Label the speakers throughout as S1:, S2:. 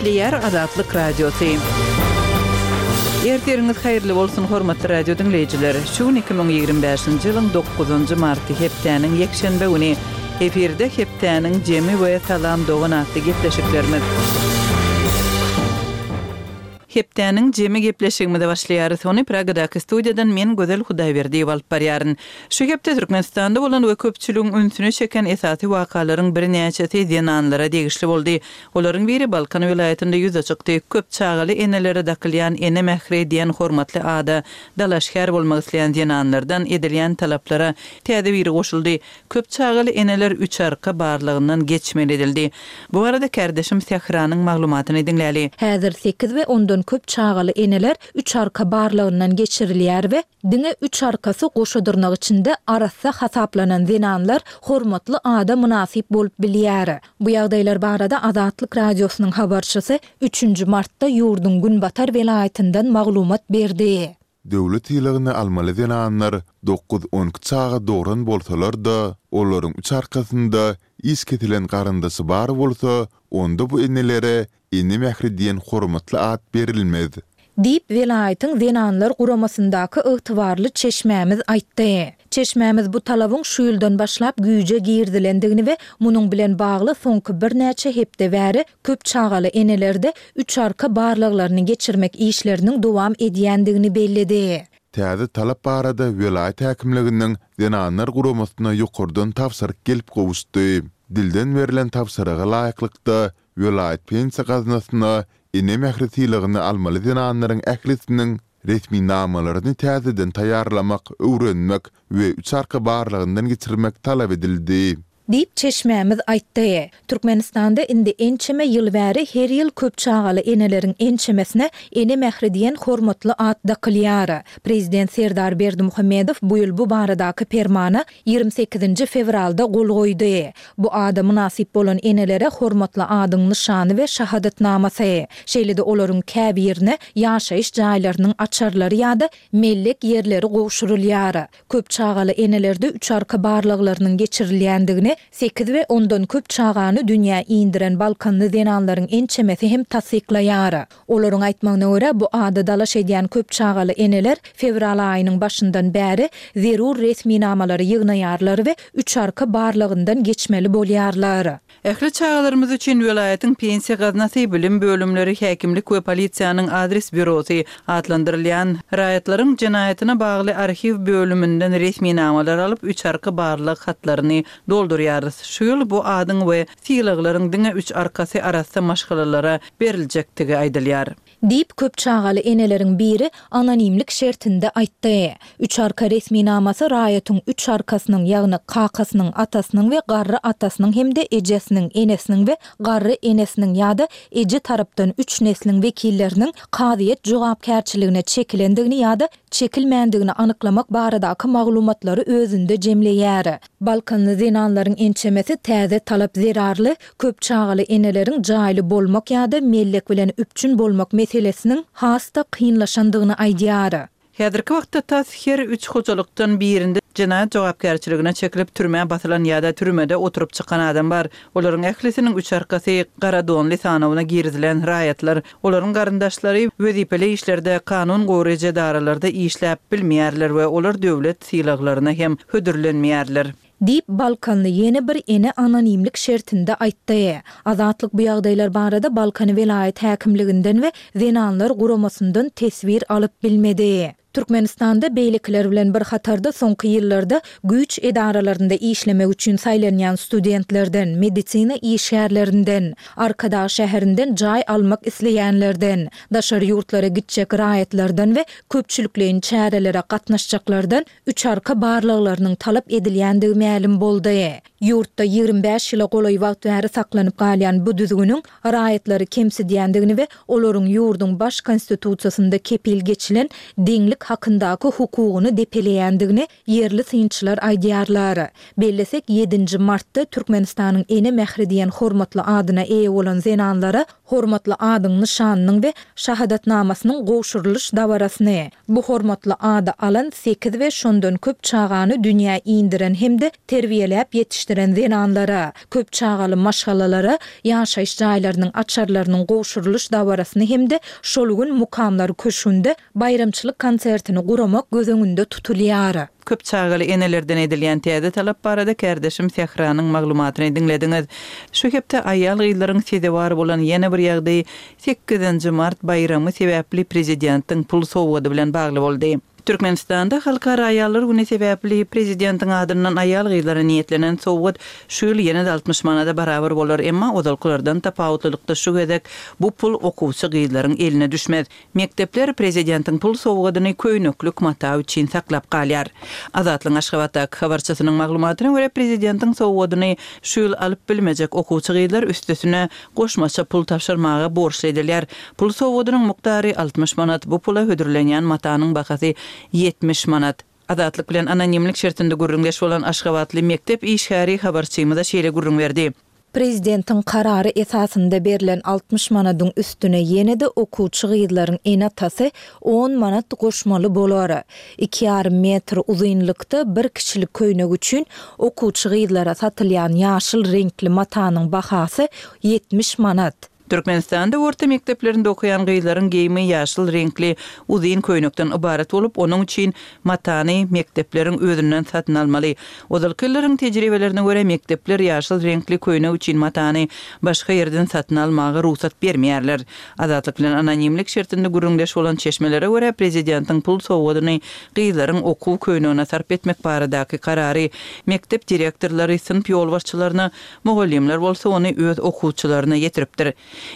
S1: Gepleýär Azatlyk Radiosy. Ertiriňiz haýyrly bolsun, hormatly radio diňleýjiler! Şu gün 2025-nji ýylyň dokuzynjy marty, hepdäniň ýekşenbe güni. Efirde Hepdäniň jemi we Salam dogan atly gepleşiklerimiz. Hepdäniň jemi gepleşigimize başlaýarys. Ony Pragadaky studiýadan men Gözel Hudaýberdiýewa alyp barýaryn. Şu hepde Türkmenistanda bolan we köpçüligiň ünsüni çeken esasy wakalaryň birnäçesi zenanlara degişli boldy. Olaryň biri Balkan welaýatynda ýüze çykdy. Köp çagaly enelere dakylýan Ene mähri diýen hormatly ada dalaşgär bolmak isleýän zenanlardan edilýän talaplara täze biri goşuldy. Köp çagaly eneler üç arka barlagyndan geçmeli edildi. Bu barada kärdeşim Sähranyň maglumatyny diňläli.
S2: Häzir sekiz we ondan köp çagaly eneler üç arka barlagyndan geçirilýär we diňe üç arkasy goşa dyrnak içinde arassa hasaplanan zenanlar hormatly ada mynasyp bolup bilýär. Bu ýagdaýlar barada Azatlyk Radiosynyň habarçysy üçünji martda ýurduň günbatar welaýatyndan maglumat berdi.
S3: Döwlet sylagyny almaly zenanlar dokuz-on iki çaga dogran bolsalar-da, olaryň üç arkasynda iş kesilen garyndaşy bar bolsa, onda bu enelere Ene mähri diýen hormatly at berilmez.
S2: Diýip, welaýatyň Zenanlar guramasyndaky ygtybarly çeşmämiz aýtdy. Çeşmämiz bu talabyň şu ýyldan başlap güýje girizilendigini we munuň bilen bagly soňky birnäçe hepde bäri köp çagaly enelerde üç arka barlaglaryny geçirmek işleriniň dowam edýändigini belledi.
S3: Täze talap barada welaýat häkimliginiň Zenanlar guramasyna ýokardan tabşyryk gelip gowuşdy. Dilden berlen tabşyryga laýyklykda, welaýat pensiýa gaznasyna Ene mähri sylagyny almaly zenanlaryň ählisiniň resminamalaryny täzeden taýýarlamak, öwrenmek we üç arka barlagyndan geçirmek talap edildi.
S2: Diýip, çeşmämiz aýtdy. Türkmenistanda indi ençeme ýyl bäri her ýyl köp çagaly eneleriň ençemesine Ene mähri diýen hormatly at dakylýar. Prezident Serdar Berdimuhamedow bu ýyl bu baradaky permana 28-nji fewralda gol goýdy. Bu ada mynasyp bolan enelere hormatly adyň nyşany we şahadatnamasy, şeýle-de olaryň käbirine ýaşaýyş jaýlarynyň açarlary ýa-da mellek ýerleri gowşurylýar. Köp çagaly enelerde üç arka barlaglarynyň geçirilýändigini sekiz we ondan köp çagany dünýä indiren balkanly zenanlaryň ençemesi hem tassyklaýar. Olaryň aýtmagyna görä, bu ada dalaş edýän köp çagaly eneler fewral aýynyň başyndan bäri zerur resminamalary ýygnaýarlar we üç arka barlagyndan geçmeli bolýarlar.
S1: Ähli çagalarymyz üçin welaýatyň pensiýa gaznasy, bilim bölümleri, häkimlik we polisiýanyň adres býurosy atlandyrylýan raýatlaryň jenaýatyna bagly arhiw bölüminden resminamalar alyp, üç arka barlag hatlaryny doldurýarys. Şu ýyl bu adyň we sylaglaryň diňe üç arkasy arassa maşgalalara beriljekdigi aýdylýar.
S2: Diýip, köp çagaly eneleriň biri anonimlik şertinde aýtdy. Üç arka resminamasy raýatyň üç arkasynyň, ýagny kakasynyň, atasynyň we garry atasynyň hem-de ejesiniň, enesiniň we garry enesiniň ýa-da eje tarapdan üç nesliň wekilleriniň kazyýet jogapkärçiligine çekilendigini ýa-da çekilmändigini anyklamak baradaky maglumatlary özünde jemleýär. Balkanly zenanlaryň ençemesi täze talap zerarly köp çagaly eneleriň jaýly bolmak ýa-da mellek bilen üpjün bolmak meselesiniň has-da kynlaşandygyny aýdýar.
S1: Häzirki wagtda tas her üç hojalykdan birinde jenaýat jogapkärçiligine çekilip türmä basylan ýa-da türmede oturyp çykan adam bar. Olaryň ählisiniň üç arkasy gara donly sanawyna girizilen raýatlar. Olaryň garyndaşlary wezipeli işlerde, kanun goraýjy edaralarda işläp bilmeýärler we olar döwlet sylaglaryna hem hödürlenmeýärler.
S2: Diýip, balkanly ýene bir ene anonimlik şertinde aýtdy. Azatlyk bu ýagdaýlar barada Balkan welaýat häkimliginden we Zenanlar guramasyndan teswir alyp bilmedi. Türkmenistanda beýlekiler bilen bir hatarda soňky ýyllarda güýç edaralarynda işlemek üçin saýlanýan studentlerden, medisina işgärlerinden, Arkadag şäherinden jaý almak isleýänlerden, daşary ýurtlara gitjek raýatlardan we köpçülikleýin çärelere gatnaşjaklardan üç arka barlaglarynyň talap edilýändigi mälim boldy. Ýurtda 25 ýyla golaý wagt bäri saklanyp galýan bu düzgüniň raýatlary kemsidýändigini we olaryň ýurduň baş Konstitusiýasynda kepil geçilen deňlik hakyndaky hukugyny depeleýändigini ýerli synçylar aýdýarlar. Bellesek, ýedinji martda Türkmenistanyň Ene mähri diýen hormatly adyna eýe bolan zenanlara. Hormatly adyň nyşanynyň we şahadatnamasynyň gowşurylyş dabarasyny, bu hormatly ady alan sekiz we şondan köp çagany dünýä indiren hem-de terbiýeläp ýetişdiren zenanlara, köp çagaly maşgalalara ýaşaýyş jaýlarynyň açarlarynyň gowşurylyş dabarasyny hem-de şol gün Mukamlar köşgünde baýramçylyk konsertini guramak göz öňünde tutulýar.
S1: Köp çagaly enelerden edilýän täze talap barada kärdeşim Sähranyň maglumatyny diňlediňiz. Şu hepde aýal-gyzlaryň sezewar bolan ýene bir ýagdaýy sekizinji mart baýramy sebäpli prezidentiň pul sowgady bilen bagly boldy. Türkmenistanda Halkara aýallar güni sebäpli prezidentiň adyndan aýal-gyzlara niýetlenen sowgat şu ýyl ýene-de 60 manada barabar bolar, emma ozalkylardan tapawutlylykda şu gezek bu pul okuwçy gyzlaryň eline düşmez. Mekdepler prezidentiň pul sowgadyny köýneklik mata üçin saklap galýar. Azatlygyň Aşgabatdaky habarçysynyň maglumatyna görä, prezidentiň sowgadyny şu ýyl alyp bilmejek okuwçy gyzlar üstesine goşmaça pul tabşyrmaga borçly edilýär. Pul sowgadynyň mukdary 60 manat, bu pula hödürlenýän matanyň bahasy 70 manat. Azatlyk bilen anonimlik şertinde gürrüňdeş bolan aşgabatly mekdep işgäri habarçymyza şeýle gürrüň berdi.
S2: Prezidentiň karary esasynda berlen 60 manadyň üstüne ýene-de okuwçy gyzlaryň ene-atasy on manat goşmaly bolar. Iki ýarym metr uzynlykda bir kişilik köýnek üçin okuwçy gyzlara satylýan ýaşyl reňkli matanyň bahasy 70 manat.
S1: Türkmenistanda orta mekdeplerinde okaýan gyzlaryň geýimi ýaşyl reňkli uzyn köýnekden ybarat bolup, onuň üçin matany mekdepleriň özünden satyn almaly. Ozalky ýyllaryň tejribelerine görä, mekdepler ýaşyl reňkli köýnek üçin matany başga ýerden satyn almaga rugsat bermeýärler. Azatlyk bilen anonimlik şertinde gürrüňdeş bolan çeşmelere görä, prezidentiň pul sowgadyny gyzlaryň okuw köýnegine sarp etmek baradaky karary mekdep direktorlary synp ýolbaşçylaryna Mugallymlar bolsa ony öz okuwçylaryna ýetiripdir.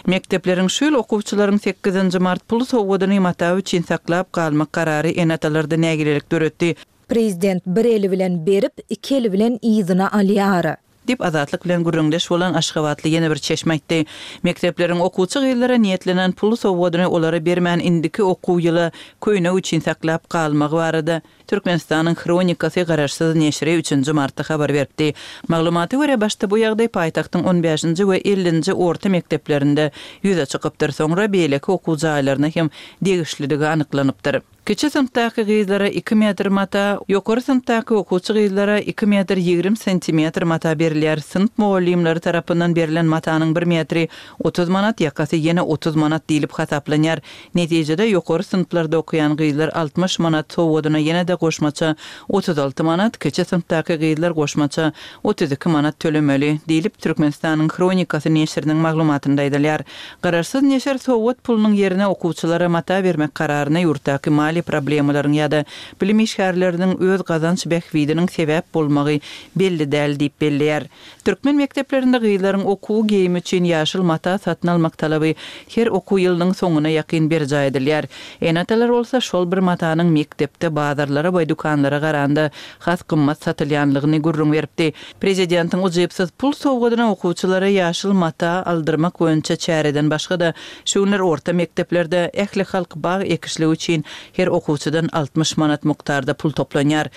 S1: Mekdepleriň şu ýyl okuwçylaryň sekizinji mart pul sowgadyny mata üçin saklap galmak karary ene-atalarda nägilelik döretdi.
S2: Prezident bir eli bilen berip, iki eli bilen yzyna alýar.
S1: Diýip, Azatlyk bilen gürrüňdeş bolan aşgabatly ýene bir çeşme aýtdy. Mekdepleriň okuwçy gyzlara niýetlenen pul sowgadyny olara bermän indiki okuw ýyla köýnek üçin saklap galmagy barada Türkmenistanyň Hronikasy garaşsyz neşiri üçünji martda habar beripdi. Maglumata görä, başda bu ýagdaý paýtagtyň on bäşinji we ellinji orta mekdeplerinde ýüze çykypdyr, soňra beýleki okuw jaýlaryna hem degişlidigi anyklanypdyr. Kiçi synpdaky gyzlara iki metr mata, ýokary synpdaky okuwçy gyzlara iki metr 20 santimetr mata berilýär. Synp mugallymlary tarapyndan berlen matanyň bir metri 30 manat, ýakasy ýene 30 manat diýlip hasaplanýar. Netijede, ýokary synplarda okaýan gyzlar 60 manat sowgadyna ýene-de goşmaça 36 manat, kiçi synpdaky gyzlar goşmaça 32 manat tölemeli, diýlip, Türkmenistanyň Hronikasy neşiriniň maglumatynda aýdylýar. Garaşsyz neşir sowgat pulunyň ýerine okuwçylara mata bermek kararyna ýurtdaky maliýe problemalaryň ýa-da bilim işgärleriniň öz gazanç bähbidiniň sebäp bolmagy belli däl diýip belleýär. Türkmen mekdeplerinde gyzlaryň okuw geýimi üçin ýaşyl mata satyn almak talaby her okuw ýylynyň soňuna ýakyn berjaý edilýär. Ene-atalar bolsa şol bir matanyň mekdepde bazarlara we dükanlara garanda has gymmat satylýanlygyny gürrüň beripdi. Prezidentiň ujypsyz pul sowgadyna okuwçylara ýaşyl mata aldyrmak boýunça çäreden başga-da, şu günler orta mekdeplerde ählihalk bag ekişligi üçin her okuwçydan 60 manat mukdarda pul toplanýar.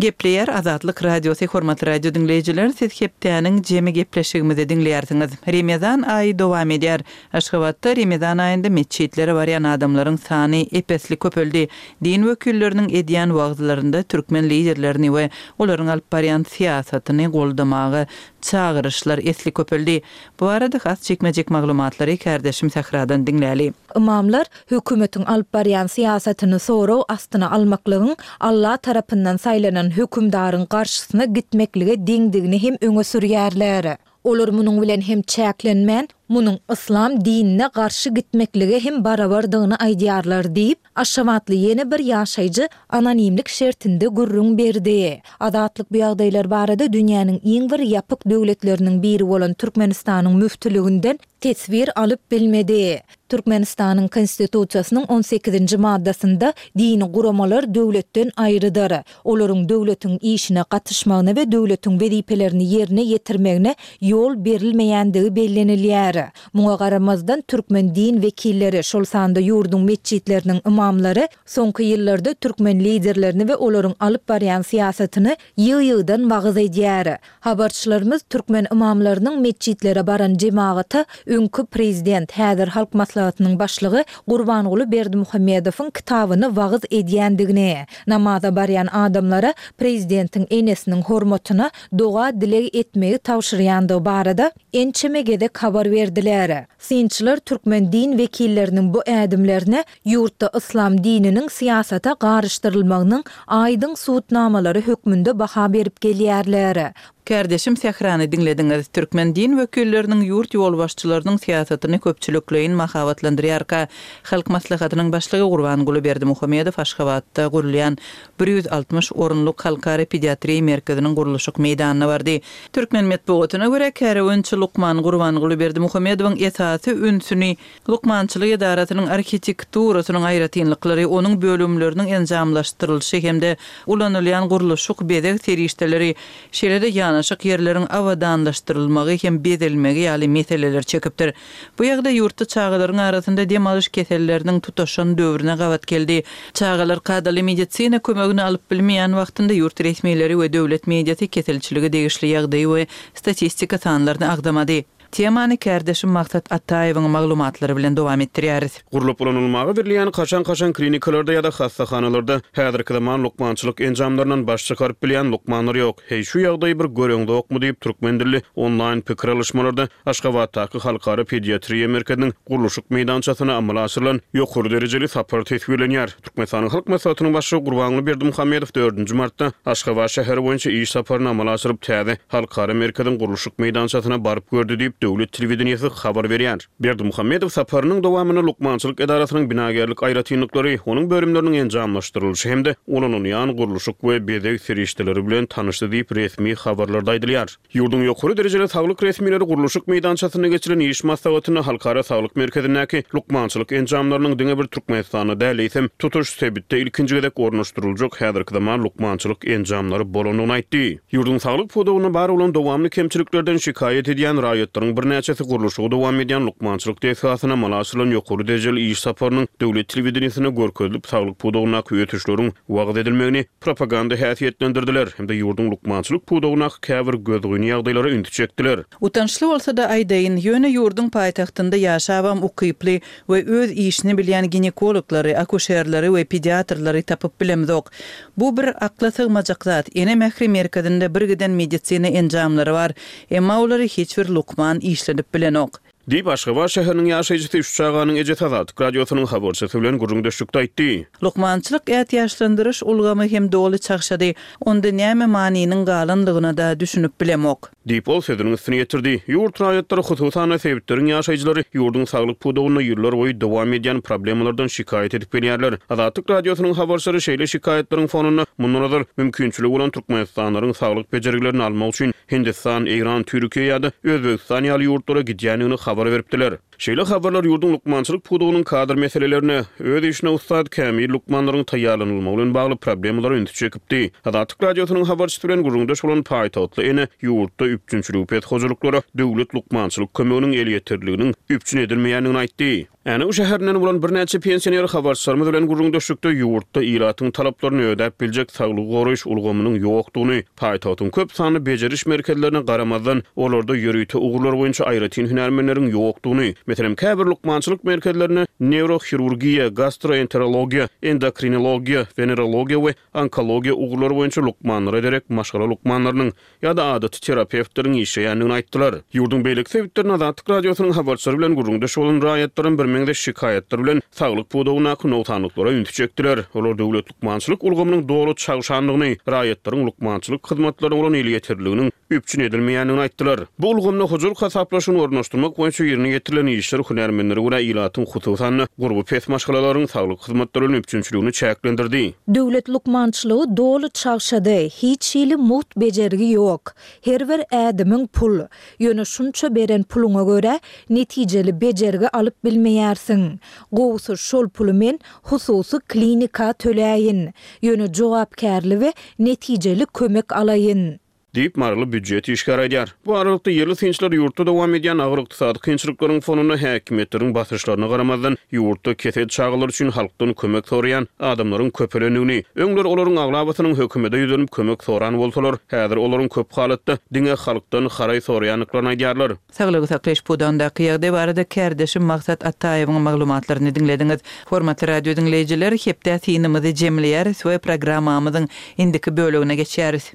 S1: Gepleýär Azatlyk Radiosy Hormatly radio diňleýjiler siz hepdäniň jemi gepleşigimizi diňleýärsiňiz. Remezan aýy dowam edýär. Aşgabatda Remezan aýynda metjitlere barýan adamlaryň sany ep-esli köpeldi. Din wekilleriniň edýän wagyzlarynda türkmen liderlerini we olaryň alyp barýan syýasatyny goldamaga çagyryşlar esli köpeldi. Bu barada has jikme-jik maglumatlary kärdeşim Sähradan diňläli.
S2: Ymamlar hökümetiň alyp barýan syýasatyny sorag astyna almaklygyň Alla tarapyndan saýlanan hökümdaryň garşysyna gitmeklige deňdigini hem öňe sürýärler. Olar munuň bilen hem çäklenmän, munuň yslam dinine garşy gitmeklige hem barabardygyny aýdýarlar diýip, aşgabatly ýene bir ýaşaýjy anonimlik şertinde gürrüň berdi. Azatlyk bu ýagdaýlar barada dünýäniň iň bir ýapyk döwletleriniň biri bolan Türkmenistanyň müftüliginden teswir alyp bilmedi. Türkmenistanyň Konstitusiýasynyň on sekizinji maddasynda dini guramalar döwletden aýrydyr. Olaryň döwletiň işine gatyşmagyna we döwletiň wezipelerini ýerine ýetirmegine ýol berilmeýändigi bellenilýär. edýär. Muňa garamazdan, türkmen din wekilleri, şol sanda ýurduň metjitleriniň ymamlary soňky ýyllarda türkmen liderlerini we olaryň alyp barýan syýasatyny ýygy-ýygydan wagyz edýär. Habarçylarymyz türkmen ymamlarynyň metjitlere baran jemagata öňki prezident, häzir Halk Maslahatynyň başlygy Gurbanguly Berdimuhamedowyň kitabyny wagyz edýändigini, namaza barýan adamlara prezidentiň enesiniň hormatyna doga-dileg etmegi tabşyrýandygy barada ençeme gezek habar berdiler. Synçylar türkmen din wekilleriniň bu ädimlerine ýurtda yslam dininiň syýasata garyşdyrylmagynyň aýdyň subutnamalary hökmünde baha berip gelýärler.
S1: Kärdeşim Sährany diňlediňiz. Türkmen din wekilleriniň ýurt ýolbaşçylarynyň syýasatyny köpçülikleýin mahabatlandyrýarka, Halk Maslahatynyň Başlygy Gurbanguly Berdimuhamedow Aşgabatda gurulýan 160 orunlyk Halkara pediatriýa merkeziniň gurluşyk meýdanyna bardy. Türkmen metbugatyna görä, kärewençi lukman Gurbanguly Berdimuhamedowyň esasy ünsüni lukmançylyk edarasynyň arhitekturasynyň aýratynlyklary, onuň bölümleriniň enjamlaşdyrylyşy hem-de ulanylýan gurluşyk-bezeg serişdeleri, şeýle-de ýanaşyk ýerleriň abadanlaşdyrylmagy hem bezelmegi ýaly meseleler çekipdir. Bu ýagdaý ýurtda çagalaryň arasynda dem alyş keselleriniň tutaşan döwrüne gabat geldi. Çagalar kadaly medisina kömegini alyp bilmeýän wagtynda ýurt resmileri we döwlet mediasy keselçilige degişli ýagdaýy we statistika sanlaryny agzamady. Temany kärdeşim Maksat Ataýewiň maglumatlary bilen dowam etdirýäris.
S4: Gurlup ulanylmaga berilýän kaşaň-kaşaň klinikalarda ýa-da hassahanalarda häzirki zaman lukmançylyk enjamlaryndan baş çykaryp bilýän lukmanlar ýok. Heý, şu ýagdaýy bir göreňzokmy diýip, türkmen dilli onlaýn pikir alyşmalarda Aşgabatdaky Halkara pediatriýa merkeziniň gurluşyk meýdançasyna amala aşyrylan ýokary derejeli sapar teswirlenýär. Türkmenistanyň Halk Maslahatynyň Başlygy Gurbanguly Berdimuhamedow dördünji martda Aşgabat şäheri boýunça iş saparyny amala aşyryp, täze Halkara merkeziň gurluşyk meýdançasyna baryp gördi diýip, döwlet telewideniýesi habar berýär. Berdimuhamedow saparynyň dowamynda lukmançylyk edarasynyň binagärlik aýratynlyklary, onuň bölümleriniň enjamlaşdyrylyşy hem-de ulanylýan gurluşyk we bezeg serişdeleri bilen tanyşdy diýip, resmi habarlarda aýdylýar. Ýurduň ýokary derejeli saglyk resmileri gurluşyk meýdançasynda geçirilen iş maslahatynda Halkara saglyk merkezindäki lukmançylyk enjamlarynyň diňe bir Türkmenistanda däl, eýsem, tutuş sebitde ilkinji gezek ornaşdyryljak häzirki zaman lukmançylyk enjamlary bolandygyny aýtdy. Ýurduň saglyk pudagynda bar bolan dowamly kemçiliklerden şikaýat edýän raýatlaryň birnäçesi gurluşygy dowam edýän lukmançylyk desgasyna amala aşyrylan ýokary derejeli iş saparynyň döwlet telewideniýesinde görkezilip, saglyk pudagyndaky ösüşleriň wagyz edilmegini propaganda häsiýetlendirdiler hem-de ýurduň lukmançylyk pudagyndaky käbir gözgyny ýagdaýlara ünsi çekdiler.
S1: Utançly bolsa-da aýdaýyn, ýöne ýurduň paýtagtynda ýaşabam ukyply we öz işini bilýän ginekologlary, akuşerleri we pediatrlary tapyp bilemzok. Bu bir akla sygmajak zat, Ene mähri merkezinde birgiden medisina enjamlary bar, emma olary hiç bir lukman işledip bilenok.
S4: Diýip, Aşgabat şäheriniň ýaşaýjysy, üç çaganyň ejesi Azatlyk Radiosynyň habarçysy bilen gürrüňdeşlikde aýtdy.
S1: Lukmançylyk ätiýaçlandyryş ulgamy hem doly çagşady. Onda näme manynyň galanlygyna-da düşünip bilemok.
S4: Diýip, ol sözüniň üstüni ýetirdi. Ýurt raýatlary, hususan-da, sebitleriň ýaşaýjylary ýurduň saglyk pudagynda ýyllarboýy dowam edýän problemalardan şikaýat edip gelýärler. Azatlyk Radiosynyň habarçylary şeýle şikaýatlaryň fonunda mundan ozal mümkinçiligi bolan türkmenistanlylaryň saglyk bejergilerini almak üçin Hindistan, Eýran, Türkiýe ýa-da Özbegistan ýaly ýurtlara gidýändigini habar beripdiler. Şeýle habarlar ýurduň lukmançylyk pudagynyň kadr meselelerine, öz işine ussat, kämil lukmanlaryň taýýarlanylmagy bilen bagly problemalara ünsi çekipdi. Azatlyk Radiosynyň habarçysy bilen gürrüňdeş bolan paýtagtly ene ýurtda üpjünçiligi pes hojalyklara döwlet lukmançylyk kömeginiň elýeterliliginiň üpjün edilmeýändigini aýtdy. Änew şäherinden bolan birnäçe pensioner habarçylarymyz bilen gürrüňdeşlikde ýurtda ilatyň talaplaryny ödäp biljek saglygy goraýyş ulgamynyň ýokdugyny, paýtagtyň köp sanly bejeriş merkezlerine garamazdan, olarda ýörite ugurlar boýunça aýratyn hünärmenleriň ýokdugyny, meselem, käbir lukmançylyk merkezlerinde neýrohirurgiýa, gastroenterologiýa, endokrinologiýa, wenerologiýa we onkologiýa ugurlary boýunça lukmanlara derek maşgala lukmanlarynyň ýa-da adaty terapewtleriň işleýändigini aýtdylar. Ýurduň beýleki sebitlerinde Azatlyk Radiosynyň habarçylary bilen gürrüňdeş bolan raýatlaram birmeňzeş şikaýatlar bilen saglyk pudagyndaky nogsanlyklara ünsi çekdiler. Olar döwlet lukmançylyk ulgamynyň doly çagşandygyny, raýatlaryň lukmançylyk hyzmatlaryna bolan elýeterliliginiň üpjün edilmeýändigini aýtdylar. Bu ulgamda hojalyk hasaplaşygyny ornaşdyrmak boýunça ýerine ýetirilen işler hünärmenlere görä ilatyň, hususan-da, gurby pes maşgalalaryň saglyk hyzmatlary bilen üpjünçiligini çäklendirdi.
S2: Döwlet lukmançylygy doly çagşady, hiç hili mugt bejergi ýok. Her bir ädimiň pul. Ýöne şunça beren puluňa görä, netijeli bejergi alyp bilmeýärsiň. Gowusy şol puly men hususy klinika töläýin. Ýöne jogapkärli we netijeli kömek alaýyn.
S4: Diýip, maryly býujet işgäri aýdýar. Bu aralykda, ýerli synçylar ýurtda dowam edýän agyr ykdysady kynçylyklaryň fonunda häkimiýetleriň basyşlaryna garamazdan, ýurtda kesel çagalar üçin halkdan kömek soraýan adamlaryň köpelendigini, öňler olaryň aglabasynyň hökümete ýüzlenip kömek soran bolsalar, häzir olaryň köp halatda diňe halkdan haraý soraýandyklaryny aýdýarlar.
S1: Saglygy saklaýyş pudagyndaky ýagdaý barada kärdeşim Maksat Ataýewiň maglumatlaryny diňlediňiz. Hormatly radio diňleýjiler, hepdä synymyzy jemleýäris we programmamyzyň indiki bölegine geçýäris.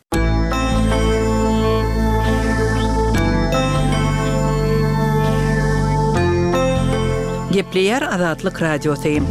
S1: Gepleýär Azatlyk Radiosy.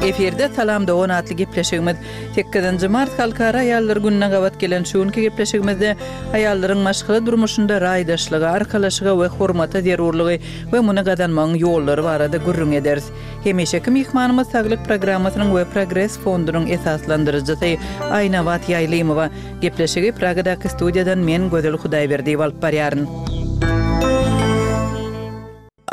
S1: Efirde Salam dogan atly gepleşigimiz. Sekizinji mart Halkara aýallar gününe gabat gelen şu günki gepleşigimizde aýallaryň maşgala durmuşynda raýdaşlyga, arkalaşyga we hormata zerurlygy we muny gazanmagyň ýollary barada gürrüň ederis. Hemişeki myhmanymyz Saglyk programmasynyň we Progres fondunyň esaslandyryjysy Aýnabat Ýaýlymowa. Gepleşigi Pragadaky studiýadan men Gözel Hudaýberdiýewa alyp barýaryn.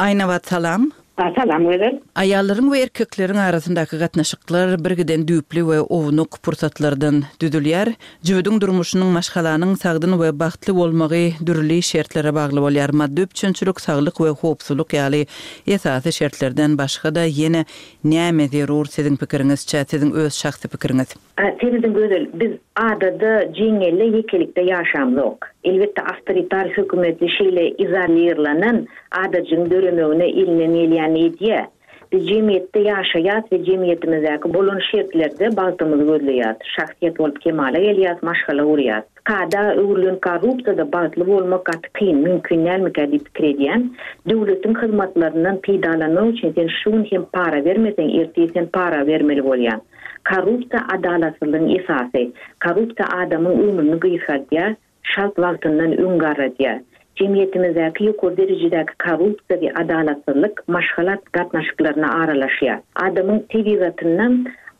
S1: Aýnabat salam.
S5: Salam Gözel.
S1: Aýallaryň we erkekleriň arasyndaky gatnaşyklar birgiden düýpli we ownuk pursatlardan düzülýär. Jübüdiň durmuşynyň, maşgalanyň sagdyn we bagtly bolmagy dürli şertlere bagly bolýar. Maddy üpjünçilik, saglyk we howpsuzlyk ýaly esasy şertlerden başga-da ýene näme zerur siziň pikiriňizçe, siziň öz şahsy pikiriňiz?
S5: Serediň Gözel, biz adada, jeňňelde ýekelikde ýaşamzok. Elbetde awtoritar hökümetli şeýle izolirlenen adajygyň döremegine elinden gelýänini edýär. Biz jemgyýetde ýaşaýas we jemgyýetimizdäki bolan şertlerde bagtymyzy gözleýäs. Şahsyýet bolup kemala gelýäs, maşgala gurýas. Kada öwrülen korrupsiýada bagtly bolmak gaty kyn, mümkin dälmikä diýip pikir edýän. Döwletiň hyzmatlaryndan peýdalanmak üçin sen şu gün hem para bermeseň, ertir sen para bermeli bolýaň. Korrupsiýa adalatsyzlygyň esasy. Korrupsiýa adamyň ömrüni gysgaldýar, çalt wagtyndan öň garradýar. Jemgyýetimizdäki ýokary derejedäki korrupsiýa we adalatsyzlyk maşgala gatnaşyklaryna aralaşýar. Adamyň tebigatynda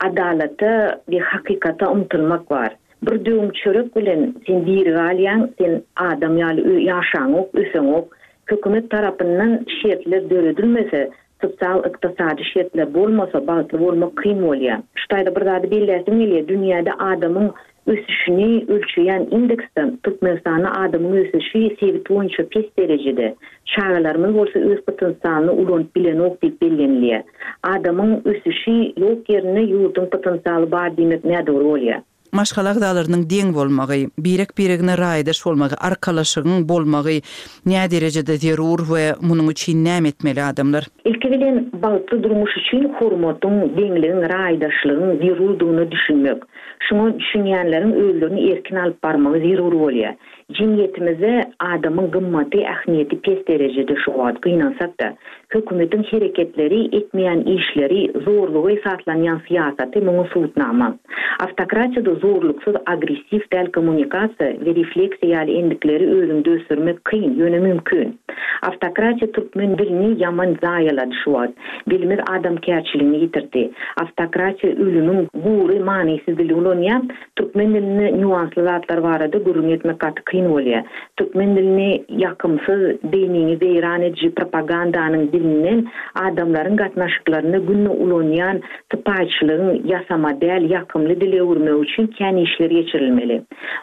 S5: adalata we hakykata ymtylmak bar. Bir döwüm çörek bilen sen diri galýaň, sen adam ýaly ýaşaňok, öseňok. Hökümet tarapyndan şertler döredilmese, Sosial-ykdysady şertler bolmasa, bagtly bolmak kyn bolýar. Şu taýda bir zady belläsim gelýär, dünýäde adamyň ösüşini ölçeýän indeksde Türkmenistanda adamyň ösüşi sebit boýunça pes derejede, çagalarymyz bolsa öz potensialyny ulanyp bilenok diýip bellenilýär. Adamyň ösüşi ýok ýerinde ýurduň potensialy bar diýmek nädogry bolýar.
S1: Maşgala agzalarynyň deň bolmagy, birek-biregine raýdaş bolmagy, arkalaşygyň bolmagy näderejede zerur we munuň üçin näme etmeli adamlar?
S5: Ilki bilen, bagtly durmuş üçin hormatyň, deňligiň, raýdaşlygyň zerurdygyna düşünmek. Şuňa düşünýänleriň özlerini erkin alyp barmagy zerur bolýar. Jemgyýetimizde adamyň gymmaty, ähmiýeti pes derejede şu wagt, gynansak-da. Hökümetiň hereketleri, etmeýän işleri, zorluga esaslanýan syýasaty muňa subutnama. Awtokratiýada zorluksyz agressiw däl kommunikasiýa we refleksiýa ýaly endikleri özüňde ösdürmek kyn, ýöne mümkin. Awtokratiýa türkmen dilini ýaman zaýalady şu wagt. Dilimiz adamkärçiligini ýitirdi. Awtokratiýa ölümiň gury manysyz dili ulanýar, Türkmen dilinde nýuansly zatlar barada gürrüň etmek gaty kyn bolýar. Türkmen dilini ýakymsyz, beýniňi weýran ediji propagandanyň dilinden adamlaryň gatnaşyklarynda günde ulanýan sypaýyçylygyň ýasama däl ýakymly dile öwürmegi üçin kän işler geçirilmeli.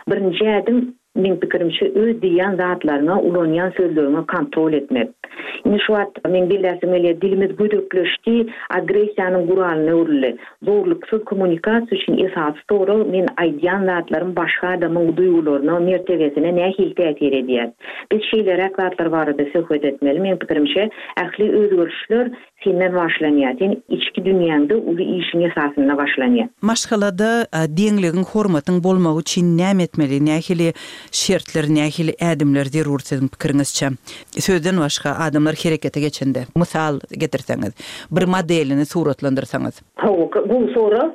S5: Birinji ädim, Meň pikirimçe öz diýýän zatlaryňa, ulanýan sözleriňe kontrol etmek. Indi şu wagt meň belläsim gelýär, dilimiz gödekleşdi, agressiýanyň guralyna öwrüldi. Zorluksyz kommunikasiýa üçin esasy sorag men aýdýan zatlarym başga adamyň duýgularyna, mertebesine nähili täsir edýär? Biz şeýleräk zatlar barada söhbet etmeli. Meň pikirimçe, ähli özgerişler Senden başlanýar. Sen içki dünýäňde uly işiň esasynda başlanýar.
S1: Maşgalada deňligiň, hormatyň bolmagy üçin näme etmeli, nähili şertler, nähili ädimler zerur siziň pikiriňizçe? Sözden başga adamlar herekete geçende, mysal getirseňiz, bir modelini suratlandyrsaňyz.
S5: Hawa, gowy sorag.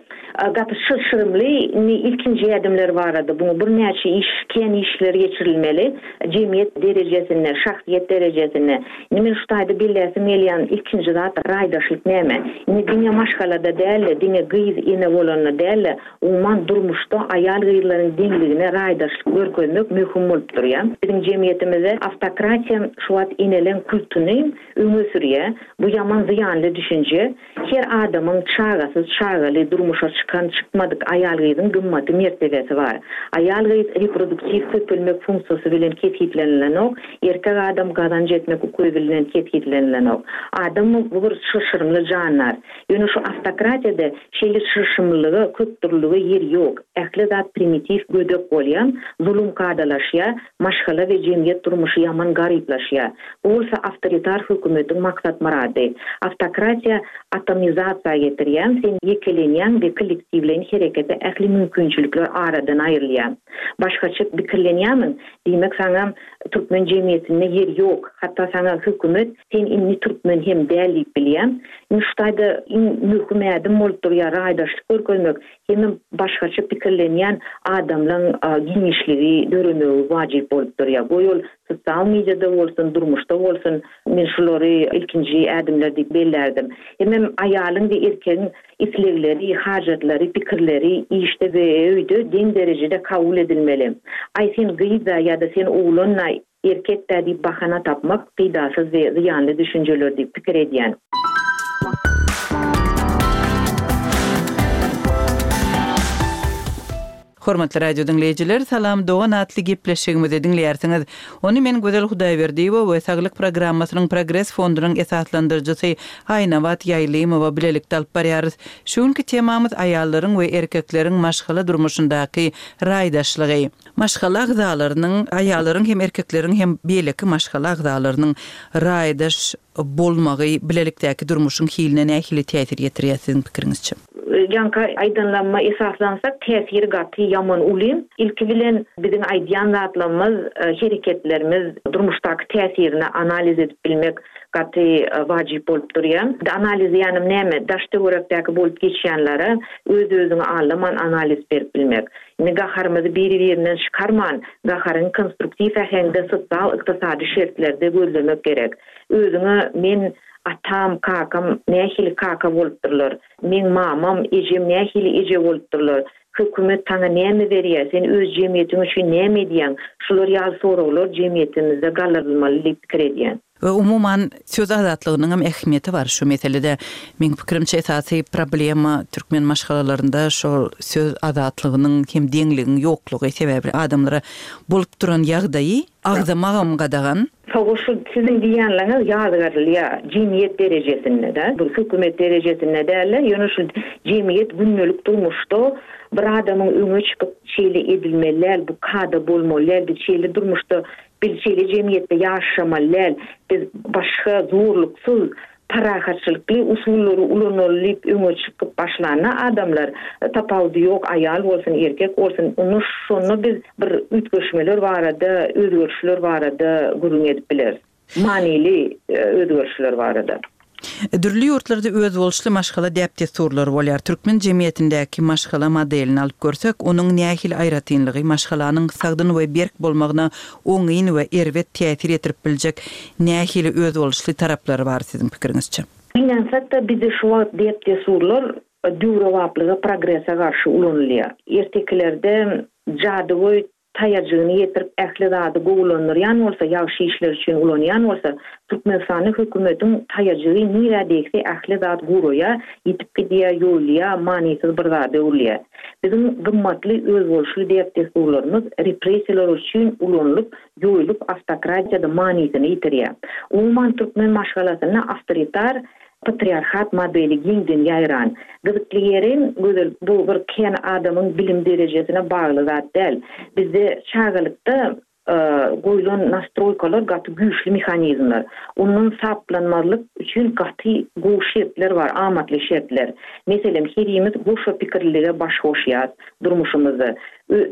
S5: Gaty çylşyrymly. Indi ilkinji ädimler barada buňa birnäçe iş, kän işler geçirilmeli. Jemgyýet derejesinde, şahsyýet derejesinde. Indi men şu taýda belläsim gelýän ilkinji zat raýdaşlyk näme? Indi diňe maşgalada däl-de, diňe gyz ene bolanda däl-de, umuman durmuşda aýal-gyzlaryň deňligine raýdaşlyk görkezmek möhüm bolup durýar. Biziň jemgyýetimizde awtokratiýa şu wagt eneleň kultuny öňe sürýär. Bu ýaman zyýanly düşünje. Her adamyň çagasyz, çagaly, durmuşa. çykan, çykmadyk aýal-gyzyň gymmaty, mertebesi bar. Aýal-gyz reproduktiw köpelmek funksiýasy bilen kesgitlenilenok, erkek adam gazanç etmek ukyby bilen kesgitlenilenok. Adam bu bir çylşyrymly jandar. Ýöne şu awtokratiýada şeýle çylşyrymlylyga, köpdürlülige ýer ýok. Ähli zat primitiw, gödek bolýar, zulum kadalaşýar, maşgala we jemgyýet durmuşy ýaman garyplaşýar. Bu bolsa awtoritar hökümetiň maksat-myrady. Awtokratiýa atomizasiýa getirýär, sen ýekelenýäň we kollektiwleýin herekete ähli mümkinçilikler aradan aýrylýar. Başgaça pikirlenýärmiň? Diýmek saňa türkmen jemgyýetinde ýer ýok. Hatda saňa hökümet sen indi türkmen hem däl diýip bilýär. Indi şu taýda iň möhüm ädim bolup durýar raýdaşlyk görkezmek hemem başgaça pikirlenýän adamlaň giňişligi döremegi wajyp bolup durýar. Goý ol sosial mediada bolsun, durmuşda bolsun men şulary ilkinji ädimler diýip bellärdim. Hemem aýalyň we erkegiň islegleri, hajatlary, pikirleri işde we öýde deň derejede kabul edilmeli. Aý sen gyz-da ýa-da sen oglan-da, erkek-dä diýip bahana tapmak peýdasyz we zyýanly düşünjeler diýip pikir edýän.
S1: Hormatly radio diňleýjiler, Salam dogan atly gepleşigimizi diňleýärsiňiz. Ony men Gözel Hudaýberdiýewa we Saglyk programmasynyň Progres fondunyň esaslandyryjysy Aýnabat Ýaýlymowa bilelikde alyp barýarys. Şu günki temamyz aýallaryň we erkekleriň maşgala durmuşyndaky raýdaşlygy. Maşgala agzalarynyň, aýallaryň hem erkekleriň hem beýleki maşgala agzalarynyň raýdaş bolmagy bilelikdäki durmuşyň hiline nähili täsir ýetirýär siziň pikiriňizçe?
S5: Ýaňky aýdanlaryma esaslansak, täsiri gaty ýaman uly. Ilki bilen biziň aýdýan zatlarymyz, hereketlerimiz durmuşdaky täsirini analiz edip bilmek gaty wajyp bolup durýar. Analiz diýýänim näme? Daş-töwerekdäki bolup geçýänlere öz-özüňi aldaman analiz berip bilmek. Indi gaharymyzy biri-birinden çykarman, gaharyňy konstruktiw äheňde sosial-ykdysady şertlerde gözlemek gerek. Özüňe men atam, kakam nähili kaka bolupdyrlar, meň mamam, ejem nähili eje bolupdyrlar, hökümet saňa näme berýär, sen öz jemgyýetiň üçin näme edýäň, şular ýaly soraglar jemgyýetimizde galdyrylmaly diýip pikir edýän.
S1: We umuman söz azatlygynyňam ähmiýeti bar şu meselede. Meň pikirimçe esasy problema türkmen maşgalalarynda şol söz azatlygynyň hem deňligiň ýoklugy sebäbi adamlara bolup duran ýagdaýy agzamagam gadagan.
S5: Hawa şu siziň diýýänleriňiz ýazgarylýar jemgyýet derejesinde-de, bir hökümet derejesinde däl-de, ýöne şu jemgyýet gündelik durmuşda bir adamyň öňe çykyp şeýle edilmeli däl, bu kada bolmaly däl, biz şeýle durmuşda Biz şeýle jemgyýetde ýaşamaly däl. Biz başga zorluksyz, parahatçylykly usullary ulanaly diýip öňe çykyp başlanda adamlar, tapawudy ýok, aýal bolsun, erkek bolsun, onda şonda biz bir üýtgeşmeler barada, özgerişler barada gürrüň edip bileris. Manyly özgerişler barada.
S1: Dürli ýurtlarda özboluşly maşgala däp-dessurlary bolýar. Türkmen jemgyýetindäki maşgala modelini alyp görsek, onuň nähili aýratynlygy, maşgalanyň sagdyn we berk bolmagyna oňyn we erbet täsir ýetirip biljek nähili özboluşly taraplary bar siziň pikiriňizçe?
S5: Gynansak-da, bizde şu wagt däp-dessurlar döwrebaplyga, progrese garşy ulanylýar. Ertekilerde jadygöý taýajygyny ýetirip ähli zady gowulandyrýan bolsa, ýagşy işler üçin ulanýan bolsa, Türkmenistanda hökümetiň taýajygy nirä degse ähli zat guraýar, ýitip gidýär, ýoýulýar, manysyz bir zada öwrülýär. Biziň gymmatly özboluşly däp-dessurlarymyz repressiýalar üçin ulanylyp, ýoýulyp awtokratiýada manysyny ýitirýär. Umuman türkmen maşgalasynda awtoritar Patriarhat modeli giňden ýaýran. Gyzykly ýeri, Gözel, bu bir kän adamyň bilim derejesine bagly zat däl. Bizde çagalykda goýlan nastroýkalar gaty güýçli mehanizmler. Ondan saplanmazlyk üçin gaty gowy şertler bar, amatly şertler. Meselem, herimiz goşa pikirlilige baş goşýas durmuşymyzda.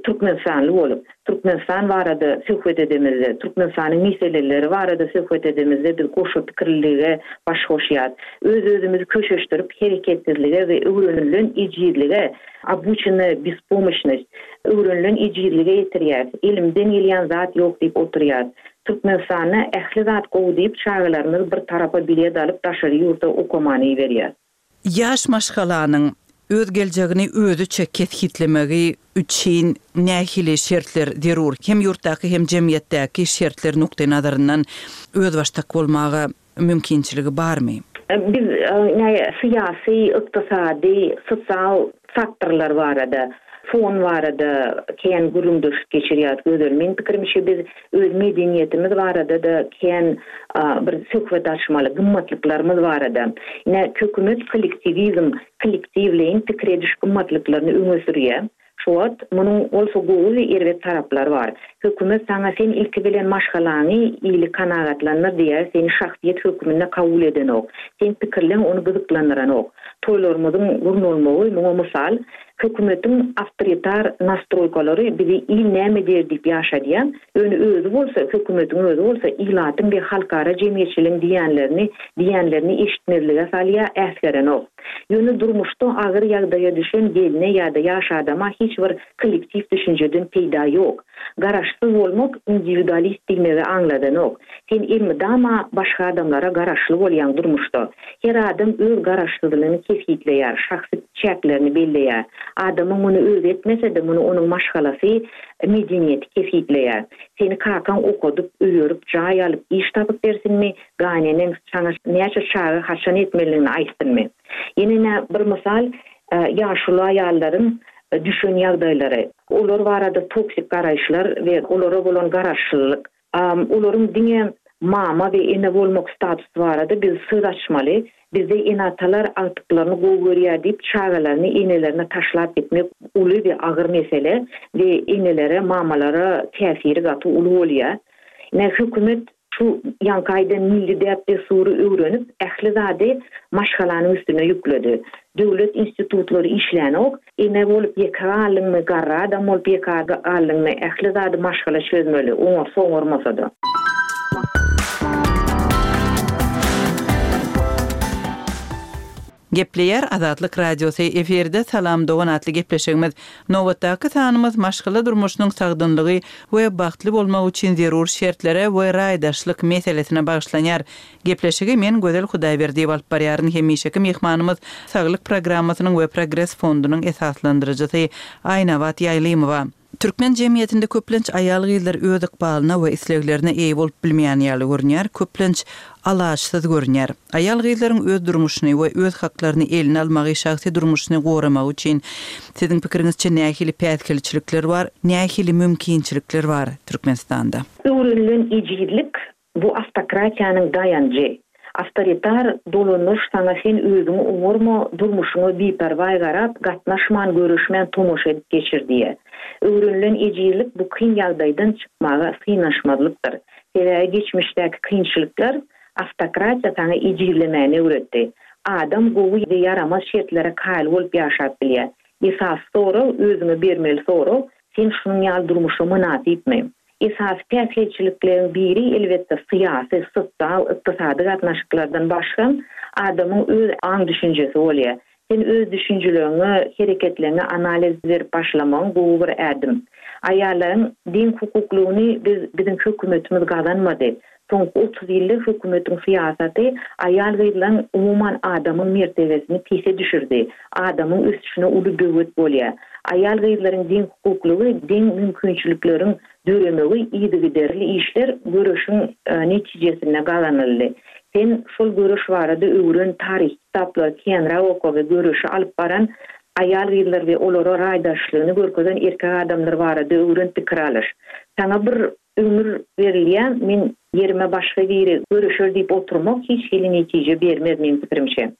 S5: Türkmenistanly bolup. Türkmenistan barada söhbet edemizde, Türkmenistanyň meseleleri barada söhbet edemizde biz goşa pikirlilige baş goşýas. Öz-özümizi köşeşdirip hereketsizlige we öwrenilen ejizlige, obuçennaýa bespomoşnost, öwrenilen ejizlige ýetirýäs. Elimden gelýän zat ýok diýip oturýas. Türkmenistanda ähli zat gowy diýip çagalarymyzy bir tarapa bilet alyp daşary ýurda okamana iberýäs.
S1: Ýaş maşgalanyň öz geljegini özüçe kesgitlemegi üçin nähili şertler zerur? Hem ýurtdaky, hem jemgyýetdäki şertler nukdaýnazaryndan özbaşdak bolmaga mümkinçiligi barmy?
S5: Biz syýasy, ykdysady, sosial faktorlar barada, fon barada kän gürrüňdeşlik geçirýäris Gözel. Meň pikirimçe biz öz medeniýetimiz barada-da kän bir söhbet açmaly, gymmatlyklarymyz barada. Ine, hökümet kollektiwizm, kollektiwleýin pikir ediş gymmatlyklaryny öňe sürýär. Şu wagt munuň bolsa gowy we erbet taraplary bar. Hökümet saňa sen ilki bilen maşgalaňy ili kanagatlandyr diýýär, seni şahsyýet hökmünde kabul edenok. Seň pikirleň ony gyzyklandyranok. Toýlarymyzyň gurnalmagy muňa mysal. Hökümetiň awtoritar nastroýkalary bizi il näme diýer diýip ýaşadýar. Ýöne özi bolsa, hökümetiň özi bolsa ilatyň we halkara jemgyýetçiligiň diýýänlerini diýýänlerini eşitmezlige salýar, äsgerenok. Ýöne durmuşda agyr ýagdaýa düşen gelne ýa-da ýaş adama hiç bir kollektiw düşünjeden peýda ýok. Garaşsyz bolmak indiwidualist diýmegi aňladanok. Sen elmydama başga adamlara garaşly bolýaň durmuşda. Her adam öz garaşsyzlygyny kesgitleýär, şahsy çäklerini belleýär. Adamyň muny özi etmese-de muny onuň maşgalasy, medeniýeti kesgitleýär. Seni kakaň okadyp, öýerip, jaý alyp, iş tapyp bersinmi, Gaýneneň saňa näçe çaga haçan etmelidigini aýtsynmy? Ýene nä bir mysal, ýaşuly aýallaryň düşen ýagdaýlary. Olar barada toksik garaýyşlar we olara bolan garaşlylyk. Olaryň diňe mama we ene bolmak statusy barada biz söz açmaly. Bizde ene-atalar agtyklaryny gowy görýär diýip çagalaryny enelerine taşlap gitmek uly we agyr mesele we enelere, mamalara täsiri gaty uly bolýar. Ine hökümet Şu ýaňky aýdan milli däp-dessury öwrenip, ähli zady maşgalanyň üstüne ýükledi. Döwlet institutlary işlänok, ene bolup ýeke galdyňmy, garry adam bolup ýeke galdyňmy, ähli zady maşgala çözmeli, oňarsa oňarmasa-da.
S1: Gepleýär Azatlyk Radiosy, efirde Salam dogan atly gepleşigimiz. Nobatdaky sanymyz maşgala durmuşynyň sagdynlygy we bagtly bolmagy üçin zerur şertlere we raýdaşlyk meselesine bagyşlanýar. Gepleşigi men Gözel Hudaýberdiýewa alyp barýaryn. Hemişeki myhmanymyz Saglyk programmasynyň we Progres fondunyň esaslandyryjysy Aýnabat Ýaýlymowa. Türkmen jemgyýetinde köplenç aýal-gyzlar öz ykbalyna we isleglerine eýe bolup bilmeýän ýaly görünýär, köplenç alaçsyz görünýär. Aýal-gyzlaryň öz durmuşyny we öz haklaryny eline almagy, şahsy durmuşyny goramagy üçin siziň pikiriňizçe nähili päsgelçilikler bar, nähili mümkinçilikler bar Türkmenistanda?
S5: Öwrenilen ejizlik Bu awtokratiýanyň daýanjy. Awtoritar dolandyryş saňa sen özüňi oňarma, durmuşyňa biperwaý garap, gatnaşman, göreşmän tomaşa edip geçir diýýär. Öwrenilen ejizlik bu kyn ýagdaýdan çykmaga synanyşmazlykdyr. Sebäbi geçmişdäki kynçylyklar awtokratiýa saňa ejizlemäni öwretdi. Adam gowy we ýaramaz şertlere kaýyl bolup ýaşap bilýär. Esasy sorag, özüňe bermeli sorag, sen şunuň ýaly durmuşa mynasypmy? Esasy päsgelçilikleriň biri, elbetde, syýasy, sosial, ykdysady gatnaşyklardan başga, adamyň öz aň-düşünjesi bolýar. Sen öz düşünjeleriňe, hereketleriňe analiz berip başlamagyň gowy bir ädim. Aýallaryň deň hukuklygyny biz, biziň hökümetimiz gazanmady. Soňky 30 ýylda hökümetiň syýasaty aýal-gyzlaryň, umuman, adamyň mertebesini pese düşürdi, adamyň ösüşine uly böwet bolýar. Aýal-gyzlaryň deň hukuklygy, deň mümkinçilikleriň döremegi yzygiderli işler, göreşiň netijesinde gazanyldy. Sen şol göreş barada öwren, taryhy kitaplary känräk oka we göreşi alyp baran aýal-gyzlar we olara raýdaşlygyny görkezen erkek adamlar barada öwren, pikir alyş. Saňa bir Ömür berilýär, men ýerime başga biri göreşer diýip oturmak hiç hili netije bermez meň pikirimçe.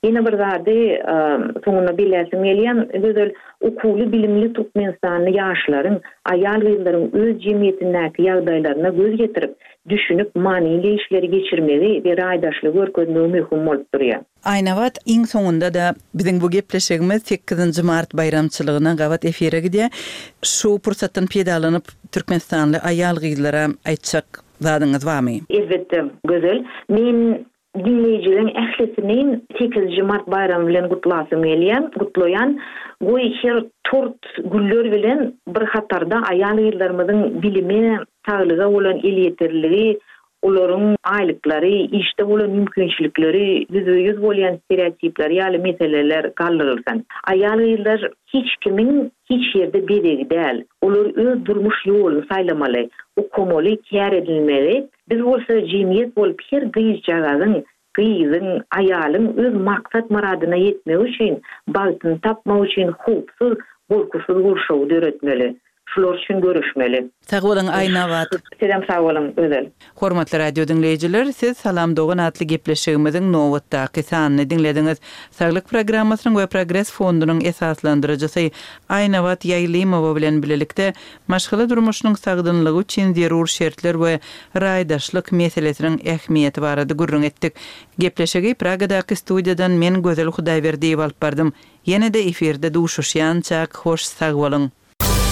S5: Ýene bir zady soňunda belläsim gelýär, Gözel, okuwly-bilimli türkmenistanly ýaşlaryň, aýal-gyzlaryň öz jemgyýetindäki ýagdaýlaryna göz ýetirip, düşünip, manyly işleri geçirmegi we raýdaşlygy görkezmegi möhüm bolup durýar.
S1: Aýnabat, iň soňunda-da biziň bu gepleşigimiz sekizinji mart baýramçylygyna gabat efire gidýär. Şu pursatdan peýdalanyp, türkmenistanly aýal-gyzlara aýtjak zadyňyz barmy?
S5: Elbetde, Gözel. Men diňleýjileriň ählisini sekizinji mart baýramy bilen gutlasym gelýär, gutlaýan. Goý, her tort güller bilen bir hatarda aýal-gyzlarymyzyň bilime, saglyga bolan elýeterliligi, olaryň aýlyklary, işde bolan mümkinçilikleri, ýüzbe-ýüz bolýan stereotipleri ýaly meseleler galdyrylsyn. Aýal-gyzlar hiç kimiň hiç ýerde bezegi däl. Olar öz durmuş ýoluny saýlamaly, okamaly, kär edinmeli. Biz bolsa jemgyýet bolup her gyzjagazyň. Gyzyň, aýalyň öz maksat-myradyna ýetmegi üçin, bagtyny tapmagy üçin howpsuz, gorkusyz gurşawy döretmeli. Şular üçin göreşmeli.
S1: Sag boluň Aýnabat.
S5: Sizem sag boluň Gözel.
S1: Hormatly radio diňleýjiler, siz Salam dogan atly gepleşigimiziň nobatdaky sanyny diňlediňiz. Saglyk programmasynyň we Progres fondunyň esaslandyryjysy Aýnabat Ýaýlymowa bilen bilelikde maşgala durmuşynyň sagdynlygy üçin zerur şertler we raýdaşlyk meselesiniň ähmiýeti barada gürrüň etdik. Gepleşigi Pragadaky studiýadan men Gözel Hudaýberdiýewa alyp bardym. Ýene-de efirde duşuşýançak hoş sag boluň!